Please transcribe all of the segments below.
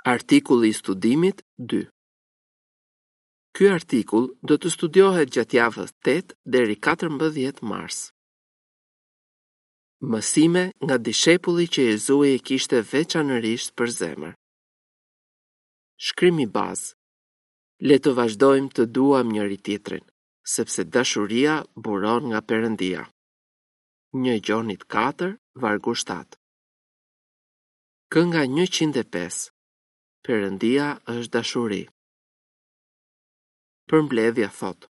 Artikulli i studimit 2. Ky artikull do të studiohet gjatë javës 8 deri 14 mars. Mësime nga dishepulli që Jezui e kishte veçanërisht për zemër. Shkrimi bazë. Le të vazhdojmë të duam njëri-tjetrin, sepse dashuria buron nga Perëndia. 1 Gjonit 4, vargu 7. Kënga 105. Perëndia është dashuri. Përmbledhja thotë: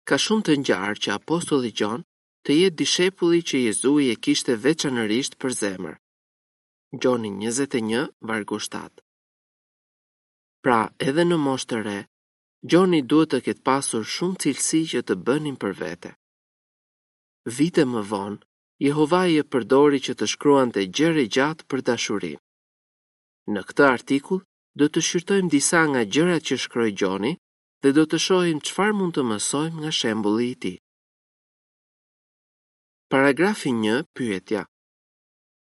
Ka shumë të ngjarë që apostulli Gjon të jetë dishepulli që Jezui e kishte veçanërisht për zemër. Gjoni 21, vargu 7. Pra, edhe në moshë të re, Gjoni duhet të ketë pasur shumë cilësi që të bënin për vete. Vite më vonë, Jehovai e përdori që të shkruante gjerë e gjatë për dashurinë. Në këtë artikull do të shqyrtojmë disa nga gjërat që shkroi Gjoni dhe do të shohim çfarë mund të mësojmë nga shembulli i tij. Paragrafi 1, pyetja.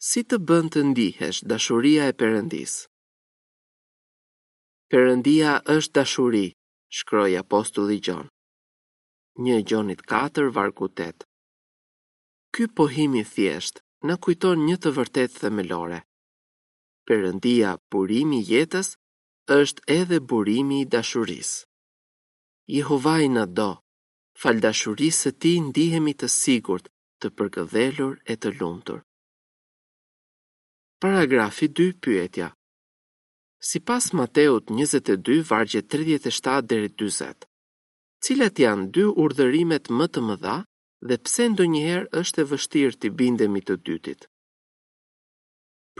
Si të bën të ndihesh dashuria e Perëndisë? Perëndia është dashuri, shkroi apostulli Gjon. 1 Gjonit 4, vargu 8. Ky pohim i thjeshtë na kujton një të vërtetë themelore. Perëndia, burimi i jetës, është edhe burimi i dashurisë. Jehovai na do. Falë dashurisë së tij ndihemi të sigurt, të përkëdhelur e të lumtur. Paragrafi 2 pyetja. Sipas Mateut 22 vargjet 37 deri 40, cilat janë dy urdhërimet më të mëdha dhe pse ndonjëherë është e vështirë t'i bindemi të dytit?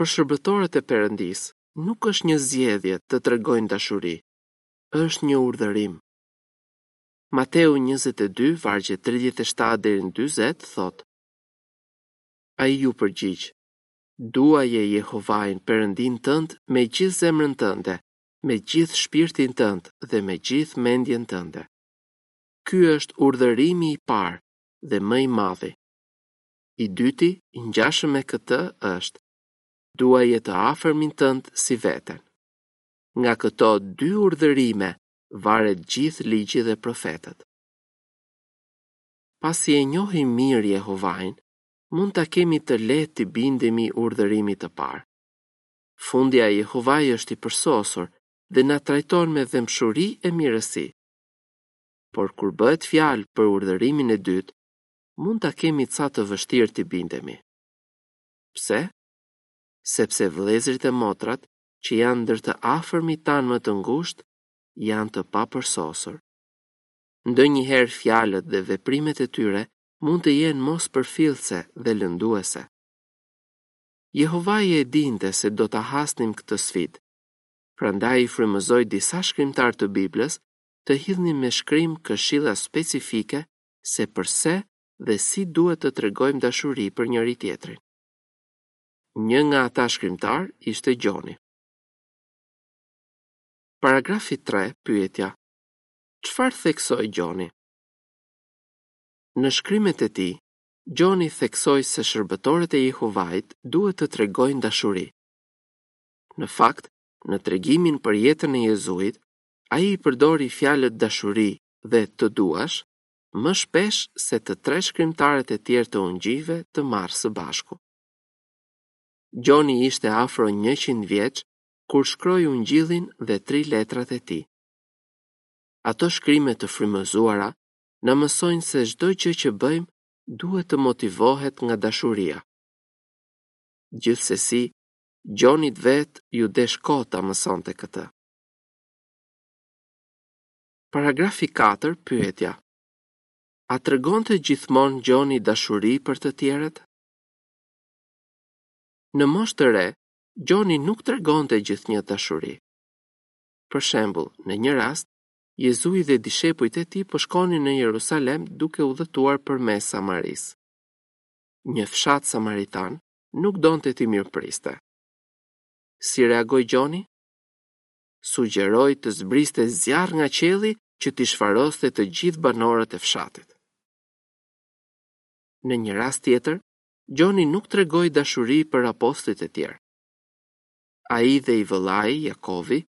Për shërbëtorët e Perëndisë, nuk është një zgjedhje të tregojnë dashuri, është një urdhërim. Mateu 22, vargjet 37 deri në 40 thotë: Ai iu përgjigj: Duaje Jehovain, Perëndinë tënd, me gjithë zemrën tënde, me gjithë shpirtin tënd dhe me gjithë mendjen tënde. Ky është urdhërimi i parë dhe më i madhi. I dyti, i ngjashëm me këtë, është: Duaje të afërmin tënd si veten. Nga këto dy urdhërime varet gjithë ligji dhe profetët. Pasi e njohim mirë Jehovain, mund ta kemi të lehtë t'i bindemi urdhërimit të parë. Fundja Jehovai është i përsosur dhe na trajton me dhembshuri e mirësi. Por kur bëhet fjalë për urdhërimin e dytë, mund ta kemi ca të vështirë t'i bindemi. Pse? Sepse vëllezërit e motrat, që janë ndër të afërmit tanë më të ngushtë, janë të papërsosur. Ndonjëherë fjalët dhe veprimet e tyre mund të jenë mospërfillëse dhe lënduese. Jehovai e dinte se do ta hasnim këtë sfidë. Prandaj i frymëzoi disa shkrimtarë të Biblës të hidhnin me shkrim këshilla specifike se përse dhe si duhet të tregojmë dashuri për njëri-tjetrin. Një nga ata shkrimtarë ishte Gjoni. Paragrafi 3, pyetja. Çfarë theksoi Gjoni? Në shkrimet e tij, Gjoni theksoi se shërbëtorët e Jehovait duhet të tregojnë dashuri. Në fakt, në tregimin për jetën e Jezuit, ai i përdori fjalët dashuri dhe të duash më shpesh se të tre shkrimtarët e tjerë të ungjijve të marrë së bashku. Gjoni ishte afro 100 vjeç kur shkroi ungjillin dhe tri letrat e tij. Ato shkrime të frymëzuara na mësojnë se çdo gjë që bëjmë duhet të motivohet nga dashuria. Gjithsesi, Gjonit vetë iu desh kohë ta mësonte këtë. Paragrafi 4, pyetja. A tregonte gjithmonë Gjoni dashuri për të tjerët? Në moshë të re, Gjoni nuk tregonte gjithnjë dashuri. Për shembull, në një rast, Jezui dhe dishepujt e tij po shkonin në Jerusalem duke udhëtuar përmes Samarisë. Një fshat samaritan nuk donte t'i mirëpriste. Si reagoi Gjoni? Sugjeroi të zbriste zjarr nga qielli që t'i shfaroste të gjithë banorët e fshatit. Në një rast tjetër, Gjoni nuk tregoi dashuri për apostujt e tjerë. Ai dhe i vëllai, Jakovi,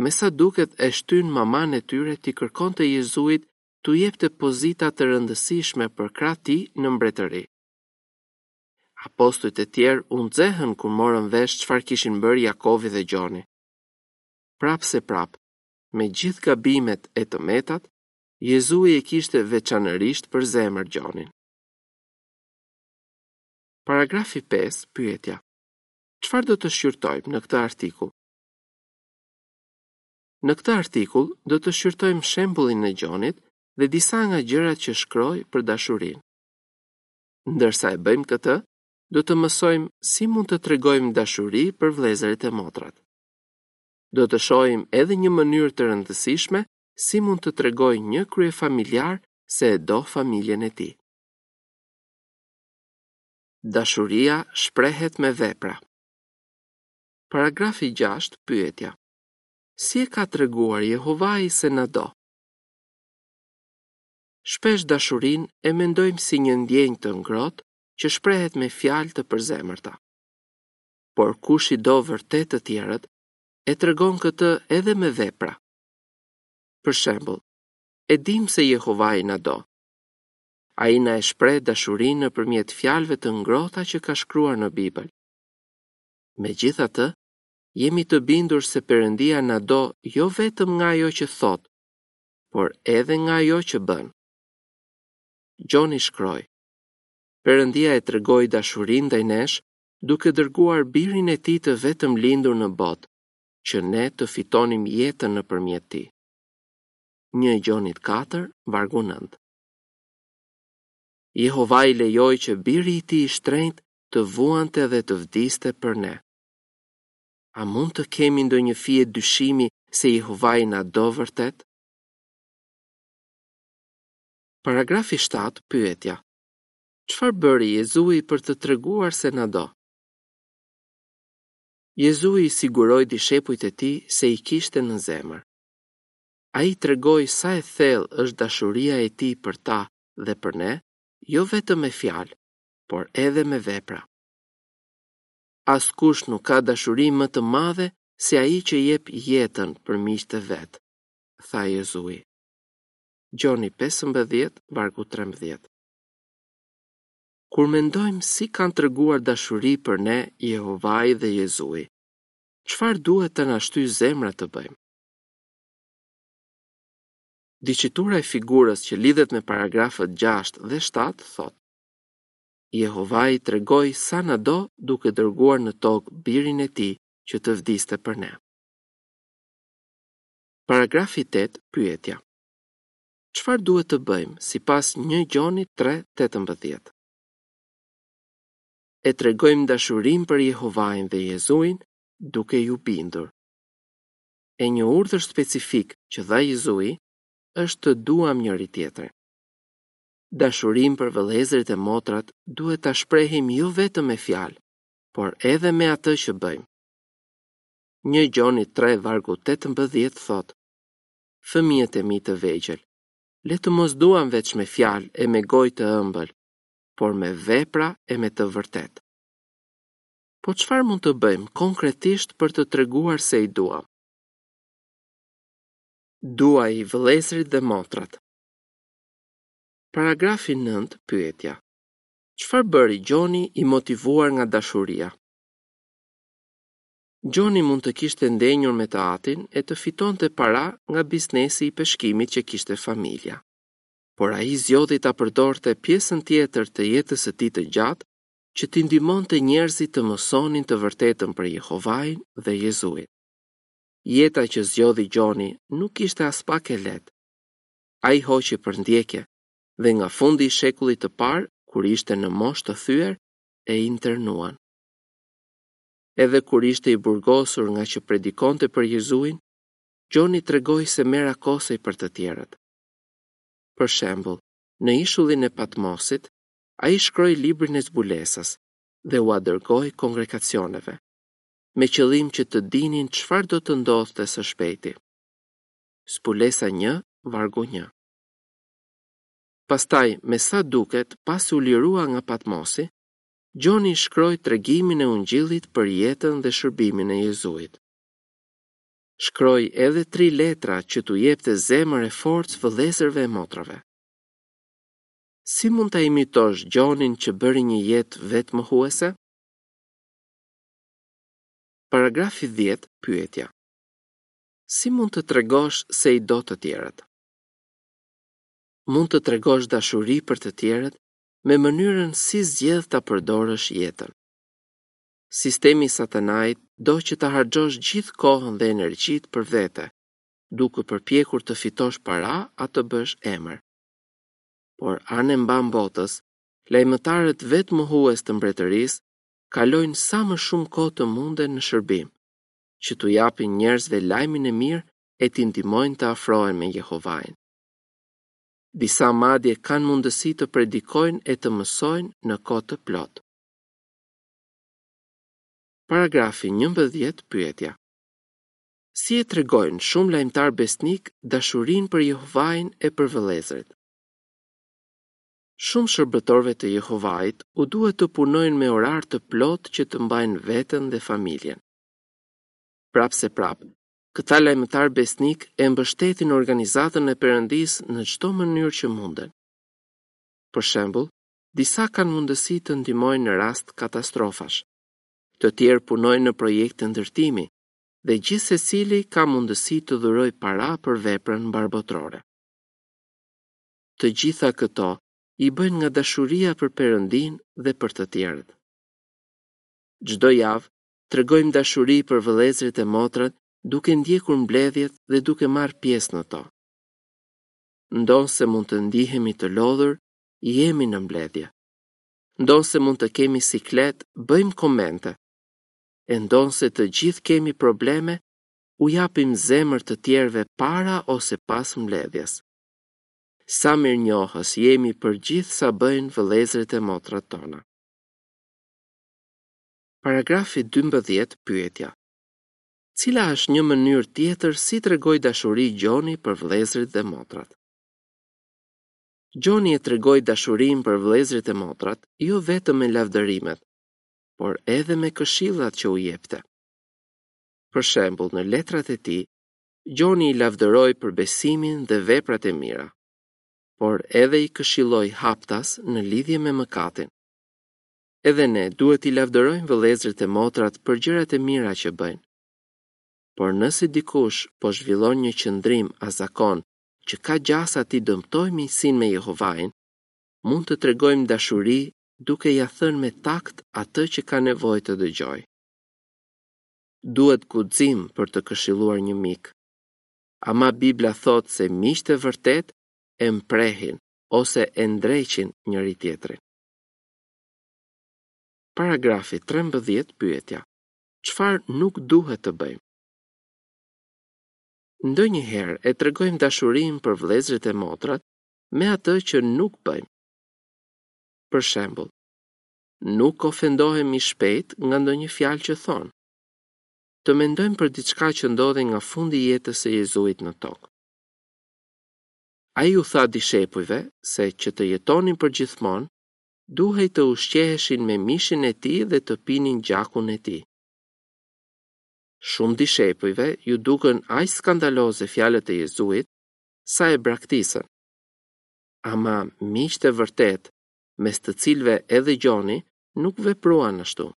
me sa duket e shtynë mamanë e tyre t'i kërkonte Jezuit t'u jepte pozita të rëndësishme përkrah tij në mbretëri. Apostujt e tjerë u nxehën kur morën vesh çfarë kishin bërë Jakovi dhe Gjoni. Prapëseprapë, me gjithë gabimet e të metat, Jezui e kishte veçanërisht për zemër Gjonin. Paragrafi 5, pyetja. Çfarë do të shqyrtojmë në këtë artikull? Në këtë artikull do të shqyrtojmë shembullin e Gjonit dhe disa nga gjërat që shkroi për dashurinë. Ndërsa e bëjmë këtë, do të mësojmë si mund të tregojmë dashuri për vëllezërit e motrat. Do të shohim edhe një mënyrë të rëndësishme si mund të tregojë një kryefamiljar se e do familjen e tij. Dashuria shprehet me vepra. Paragrafi 6, pyetja. Si e ka treguar Jehovai se na do? Shpesh dashurinë e mendojmë si një ndjenjë të ngrohtë që shprehet me fjalë të përzemërta. Por kush i do vërtet të tjerët, e tregon këtë edhe me vepra. Për shembull, e dimë se Jehovai na do. Ai na e shpreh dashurinë nëpërmjet fjalëve të ngrohta që ka shkruar në Bibël. Megjithatë, jemi të bindur se Perëndia na do jo vetëm nga ajo që thotë, por edhe nga ajo që bën. Gjoni shkroi: Perëndia e tregoi dashurinë ndaj nesh duke dërguar birin e tij të vetëmlindur në botë, që ne të fitonim jetën nëpërmjet tij. 1 Gjonit 4, vargu 9. Jehovai lejoi që biri i tij i shtrenjtë të vuante dhe të vdiste për ne. A mund të kemi ndonjë fije dyshimi se Jehovai na do vërtet? Paragrafi 7, pyetja. Çfarë bëri Jezui për të treguar se na do? Jezui i siguroi dishepujt e tij se i kishte në zemër. Ai tregoi sa e thellë është dashuria e tij për ta dhe për ne, jo vetëm me fjalë, por edhe me vepra. Askush nuk ka dashuri më të madhe se ai që jep jetën për miqtë e vet, tha Jezui. Gjoni 15, vargu 13. Kur mendojmë si kanë treguar dashuri për ne Jehovai dhe Jezui, çfarë duhet të na shtyjë zemra të bëjmë? Diçitura e figurës që lidhet me paragrafët 6 dhe 7 thotë: Jehovai tregoi sa na do duke dërguar në tokë birin e tij që të vdiste për ne. Paragrafi 8, pyetja. Çfarë duhet të bëjmë sipas 1 Gjonit 3:18? E tregojmë dashurinë për Jehovain dhe Jezuin duke iu bindur. E një urdhër specifik që dha Jezui është të duam njëri-tjetrin. Dashurinë për vëllezërit e motrat duhet ta shprehim jo vetëm me fjalë, por edhe me atë që bëjmë. 1 Gjoni 3 vargu 18 thotë: Fëmijët e mi të vegjël, le të mos duam veç me fjalë e me gojë të ëmbël, por me vepra e me të vërtetë. Po çfarë mund të bëjmë konkretisht për të treguar se i duam? Duaji vëllezërit dhe motrat. Paragrafi 9, pyetja. Çfarë bëri Gjoni i motivuar nga dashuria? Gjoni mund të kishte ndenjur me të atin e të fitonte para nga biznesi i peshkimit që kishte familja. Por ai zgjodhi ta përdorte pjesën tjetër të jetës së tij të gjatë që t'i ndihmonte njerëzit të mësonin të vërtetën për Jehovain dhe Jezuin. Jeta që zgjodhi Gjoni nuk ishte aspak e lehtë. Ai hoqi përndjekje dhe nga fundi i shekullit të parë, kur ishte në moshë të thyer, e internuan. Edhe kur ishte i burgosur ngaqë predikonte për Jezuin, Gjoni tregoi se merakosej për të tjerët. Për shembull, në ishullin e Patmosit, ai shkroi librin e zbulesës dhe ua dërgoi kongregacioneve, me qëllim që të dinin çfarë do të ndodhte së shpejti. Zbulesa 1, vargu 1. Pastaj, me sa duket, pasi u lirua nga Patmosi, Gjoni shkroi tregimin e Ungjillit për jetën dhe shërbimin e Jezuit. Shkroi edhe tri letra që t'u jepte zemër e forcë vëllezërve e motrave. Si mund ta imitosh Gjonin që bëri një jetë vetëmohuese? Paragrafi 10, pyetja. Si mund të tregosh se i do të tjerët? Mund të tregosh dashuri për të tjerët me mënyrën si zgjedh ta përdorësh jetën. Sistemi i Satanait do që ta harxhosh gjithë kohën dhe energjitë për vete, duke u përpjekur të fitosh para a të bësh emër. Por anembanë botës, lajmëtarët vetëmohues të mbretërisë kalojnë sa më shumë kohë të munden në shërbim, që t'u japin njerëzve lajmin e mirë e t'i ndihmojnë të afrohen me Jehovain. Disa madje kanë mundësi të predikojnë e të mësojnë në kohë të plotë. Paragrafi 11 pyetja. Si e tregojnë shumë lajmëtarë besnikë dashurinë për Jehovain e për vëllezërit? Shumë shërbëtorëve të Jehovait u duhet të punojnë me orar të plotë që të mbajnë veten dhe familjen. Prapëseprapë, Këta lajmëtarë besnikë e mbështetin organizatën e Perëndisë në çdo mënyrë që munden. Për shembull, disa kanë mundësi të ndihmojnë në rast katastrofash. Të tjerë punojnë në projekte ndërtimi dhe gjithsecili ka mundësi të dhurojë para për veprën mbarëbotërore. Të gjitha këto i bëjnë nga dashuria për Perëndinë dhe për të tjerët. Çdo javë, Tregojmë dashuri për vëllezërit e motrat duke ndjekur mbledhjet dhe duke marrë pjesë në to. Ndonëse mund të ndihemi të lodhur, jemi në mbledhje. Ndonëse mund të kemi siklet, bëjmë komente. E ndonëse të gjithë kemi probleme, u japim zemër të tjerëve para ose pas mbledhjes. Sa mirënjohës jemi për gjithë sa bëjnë vëllezërit e motrat tona. Paragrafi 12 pyetja. Cila është një mënyrë tjetër si tregoi dashuri Gjoni për vëllezërit dhe motrat? Gjoni e tregoi dashurinë për vëllezërit e motrat jo vetëm me lavdërimet, por edhe me këshillat që u jepte. Për shembull, në letrat e tij, Gjoni i lavdëroi për besimin dhe veprat e mira, por edhe i këshilloi haptas në lidhje me mëkatin. Edhe ne duhet t'i lavdërojmë vëllezërit e motrat për gjërat e mira që bëjnë. Por nëse dikush po zhvillon një qëndrim a zakon që ka gjasa t'i dëmtojë miqësinë me Jehovain, mund të tregojmë dashuri duke ia thënë me takt atë që ka nevojë të dëgjojë. Duhet guxim për të këshilluar një mik. Ama Bibla thotë se miqtë e vërtetë e mprehin ose e ndreqin njëri-tjetrin. Paragrafi 13 pyetja. Çfarë nuk duhet të bëjmë? Ndonjëherë e tregojmë dashurinë për vëllezërit e motrat me atë që nuk bëjmë. Për shembull, nuk ofendohemi shpejt nga ndonjë fjalë që thonë. Të mendojmë për diçka që ndodhi nga fundi i jetës së Jezuit në tokë. Ai u tha dishepujve se që të jetonin përgjithmonë, duhej të ushqeheshin me mishin e tij dhe të pinin gjakun e tij. Shumë dishepujve iu dukën aq skandaloze fjalët e Jezuit, sa e braktisën. Ama miqtë e vërtetë, mes të cilëve edhe Gjoni, nuk vepruan ashtu.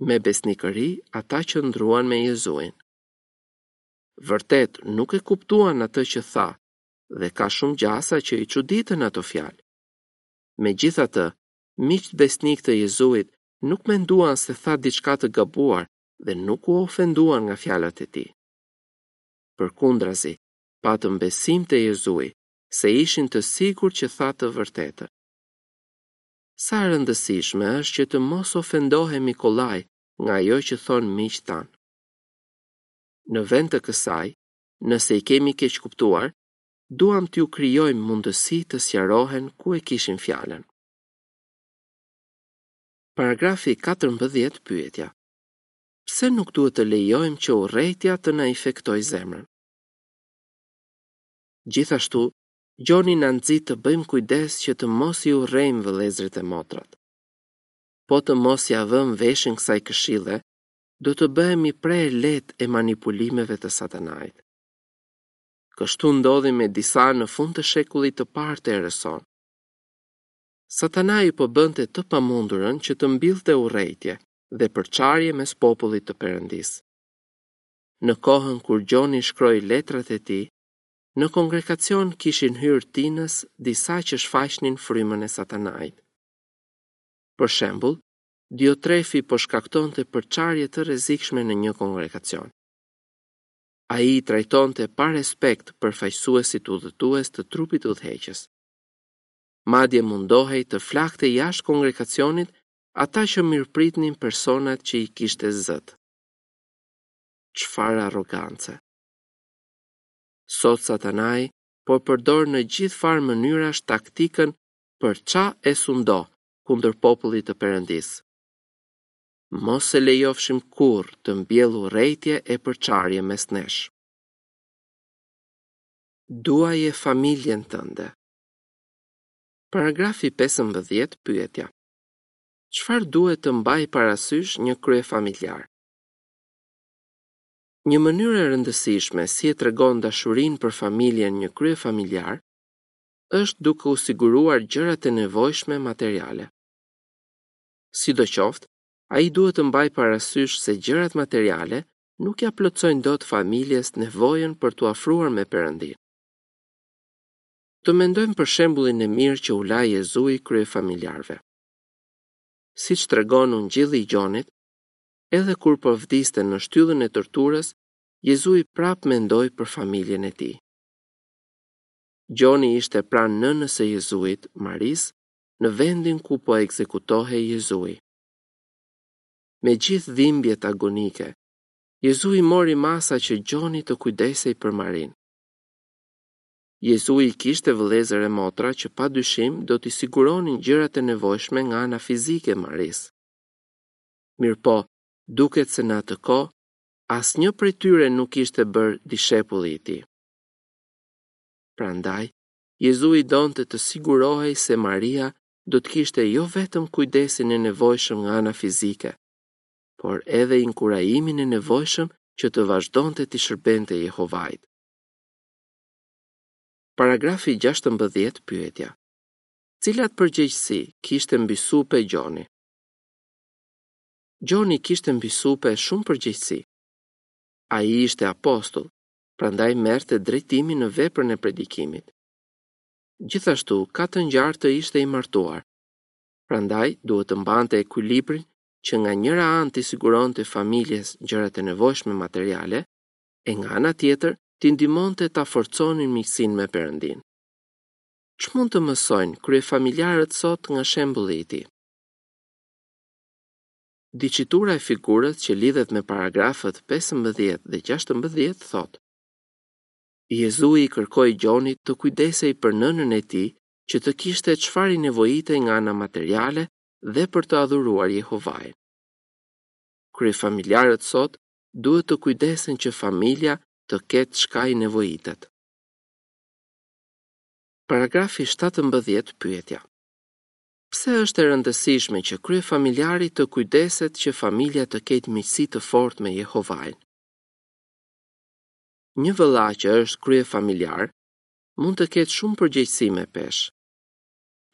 Me besnikëri ata qëndruan me Jezuin. Vërtet nuk e kuptuan atë që tha dhe ka shumë gjasa që i çuditën ato fjalë. Megjithatë, miqtë besnikë të Jezuit nuk menduan se tha diçka të gabuar dhe nuk u ofenduan nga fjalët e tij. Përkundrazi, patën besim te Jezui, se ishin të sigurt që tha të vërtetën. Sa e rëndësishme është që të mos ofendohemi kollaj nga ajo që thonë miqtë tanë. Në vend të kësaj, nëse i kemi keqkuptuar, duam t'u krijojmë mundësi të sqarohen ku e kishin fjalën. Paragrafi 14 pyetja. Pse nuk duhet të lejojmë që urrejtja të na infektojë zemrën? Gjithashtu, Gjoni na nxit të bëjmë kujdes që të mos i urrejmë vëllezërit e motrat. Po të mos ia vëmë veshin kësaj këshille, do të bëhemi pre e lehtë e manipulimeve të Satanait. Kështu ndodhi me disa në fund të shekullit të parë të erës sonë. Satanai po bënte të pamundurën që të mbillte urrejtje dhe përçarje mes popullit të Perëndisë. Në kohën kur Gjoni shkroi letrat e tij, në kongregacion kishin hyrë tinëz disa që shfaqnin frymën e Satanait. Për shembull, Diotrefi po shkaktonte përçarje të rrezikshme në një kongregacion. Ai i trajtonte pa respekt përfaqësuesit udhëtues të trupit udhëheqës. Madje mundohej të flakte jashtë kongregacionit ata që mirëpritnin personat që i kishte zët. Çfarë arrogance! Sot Satanai po përdor në gjithfarë mënyrash taktikën përça e sundo kundër popullit të Perëndisë. Mos e lejofshim kurrë të mbjellë urrejtje e përçarje mes nesh. Duaje familjen tënde. Paragrafi 15 pyetja. Çfarë duhet të mbajë parasysh një kryefamiljar? Një mënyrë e rëndësishme si e tregon dashurinë për familjen një kryefamiljar është duke u siguruar gjërat e nevojshme materiale. Sidoqoftë, ai duhet të mbajë parasysh se gjërat materiale nuk ia plotësojnë dot familjes nevojën për t'u afruar me Perëndinë. Të mendojmë për shembullin e mirë që u la Jezui kryefamiljarëve. Siç tregon Ungjilli i Gjonit, edhe kur po vdiste në shtyllën e torturës, Jezui prapë mendoi për familjen e tij. Gjoni ishte pranë nënës së Jezuit, Marisë, në vendin ku po ekzekutohej Jezui. Me gjithë dhimbjet agonike, Jezui mori masa që Gjoni të kujdesej për Marinë. Jezui kishte vëllezër e motra që pa dyshim do t'i siguronin gjërat e nevojshme nga ana fizike Marisë. Mirëpo, duket se në atë kohë, asnjë prej tyre nuk ishte bërë dishepulli i tij. Prandaj, Jezui donte të sigurohej se Maria do të kishte jo vetëm kujdesin e nevojshëm nga ana fizike, por edhe inkurajimin e nevojshëm që të vazhdonte t'i shërbente Jehovait. Paragrafi 16 pyetja. Cilat përgjegjësi kishte mbi supe Gjoni? Gjoni kishte mbi supe shumë përgjegjësi. Ai ishte apostull, prandaj merrte drejtimin në veprën e predikimit. Gjithashtu, ka të ngjarë të ishte i martuar. Prandaj duhet të mbante ekuilibrin që nga njëra anë t'i siguronte familjes gjërat e nevojshme materiale, e nga ana tjetër t'i ndihmonte ta forconin miqësinë me Perëndinë. Ç'mund të mësojnë kryefamiljarët sot nga shembulli i tij? Diçitura e figurës që lidhet me paragrafët 15 dhe 16 thotë: Jezui i kërkoi Gjonit të kujdesej për nënën e tij që të kishte çfarë i nevojitej nga ana materiale dhe për të adhuruar Jehovain. Kryefamiljarët sot duhet të kujdesen që familja të ketë çka i nevojitet. Paragrafi 17 pyetja. Pse është e rëndësishme që kryefamiljari të kujdeset që familja të ketë miqësi të fortë me Jehovain? Një vëlla që është kryefamiljar mund të ketë shumë përgjegjësi me peshë.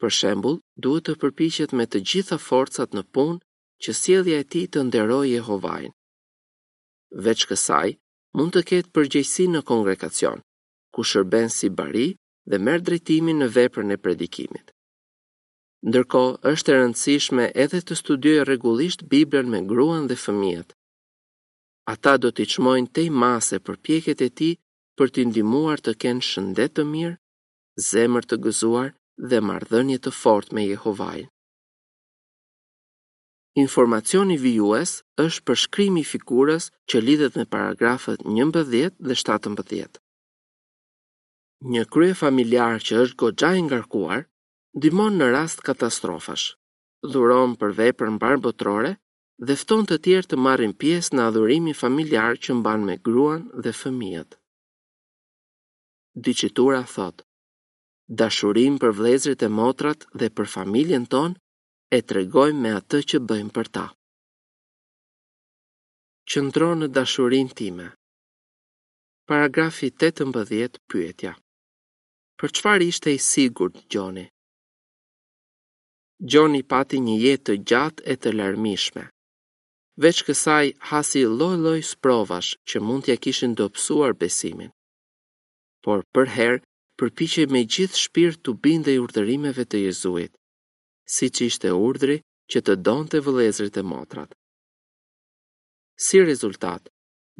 Për shembull, duhet të përpiqet me të gjitha forcat në punë që sjellja e tij të nderojë Jehovain. Veç kësaj, mund të ketë përgjegjësi në kongregacion, ku shërben si bari dhe merr drejtimin në veprën e predikimit. Ndërkohë, është e rëndësishme edhe të studiojë rregullisht Biblën me gruan dhe fëmijët. Ata do t'i çmojnë tej mase përpjekjet e tij për t'i ndihmuar të kenë shëndet të mirë, zemër të gëzuar dhe marrëdhënie të fortë me Jehovain. Informacioni vijues është përshkrimi i figurës që lidhet me paragrafët 11 dhe 17. Një kryefamiljar që është goxha i ngarkuar, ndihmon në rast katastrofash, dhuron për veprën mbarëbotërore dhe fton të tjerë të marrin pjesë në adhurimin familjar që mban me gruan dhe fëmijët. Diçitura thotë: Dashurinë për vëllezërit e motrat dhe për familjen tonë. e tregojmë me atë që bëjmë për ta. Qëndro në dashurinë time. Paragrafi 18 Pyetja. Për çfarë ishte i sigurt Gjoni? Gjoni pati një jetë të gjatë e të larmishme. Veç kësaj hasi lloj-lloj sprovash që mund t'ia kishin dobësuar besimin. Por përherë përpiqej me gjithë shpirt t'u bindej urdhërimeve të Jezuit, siç ishte urdhri që të donte vëllezërit e motrat. Si rezultat,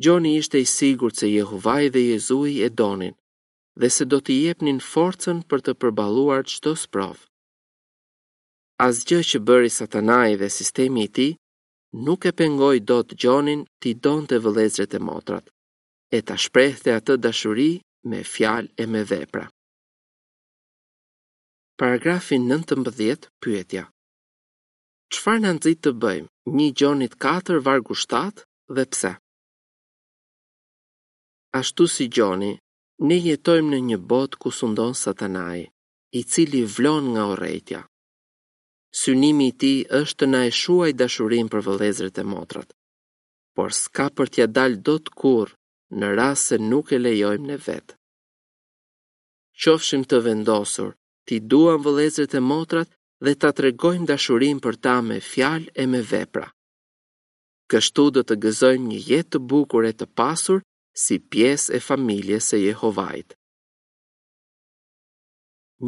Gjoni ishte i sigurt se Jehovai dhe Jezui e donin dhe se do t'i jepnin forcën për të përballuar çdo sprovë. Asgjë që bëri Satanai dhe sistemi i tij nuk e pengoi dot Gjonin t'i donte vëllezërit e motrat, e ta shprehte atë dashuri me fjalë e me vepra. Paragrafi 19, pyetja. Çfarë na nxit të bëjmë një Gjonit 4 vargu 7 dhe pse? Ashtu si Gjoni, ne jetojmë në një botë ku sundon Satanai, i cili vlon nga urrejtja. Synimi i tij është të na e shuajë dashurinë për vëllezërit e motrat. Por s'ka për t'ia dalë dot kurrë në rast se nuk e lejojmë ne vetë. Qofshim të vendosur t'i duam vëllezërit e motrat dhe ta tregojmë dashurinë për ta me fjalë e me vepra. Kështu do të gëzojmë një jetë të bukur e të pasur si pjesë e familjes së Jehovait.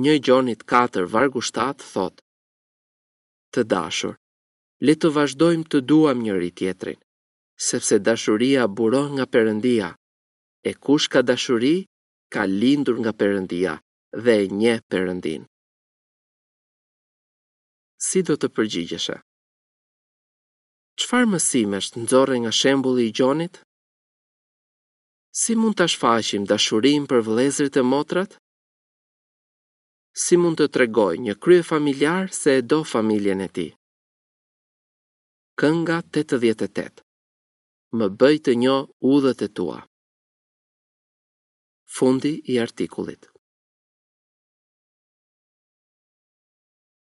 Një Gjonit 4 vargu 7 thotë: Të dashur, le të vazhdojmë të duam njëri-tjetrin, sepse dashuria buron nga Perëndia, e kush ka dashuri, ka lindur nga Perëndia dhe e njeh Perëndinë. Si do të përgjigjeshe? Çfarë mësimesh nxorre nga shembulli i Gjonit? Si mund ta shfaqim dashurinë për vëllezërit e motrat? Si mund të tregojë një kryefamiljar se e do familjen e tij? Kënga 88 Më bëj të njoh udhët e tua. Fundi i artikullit.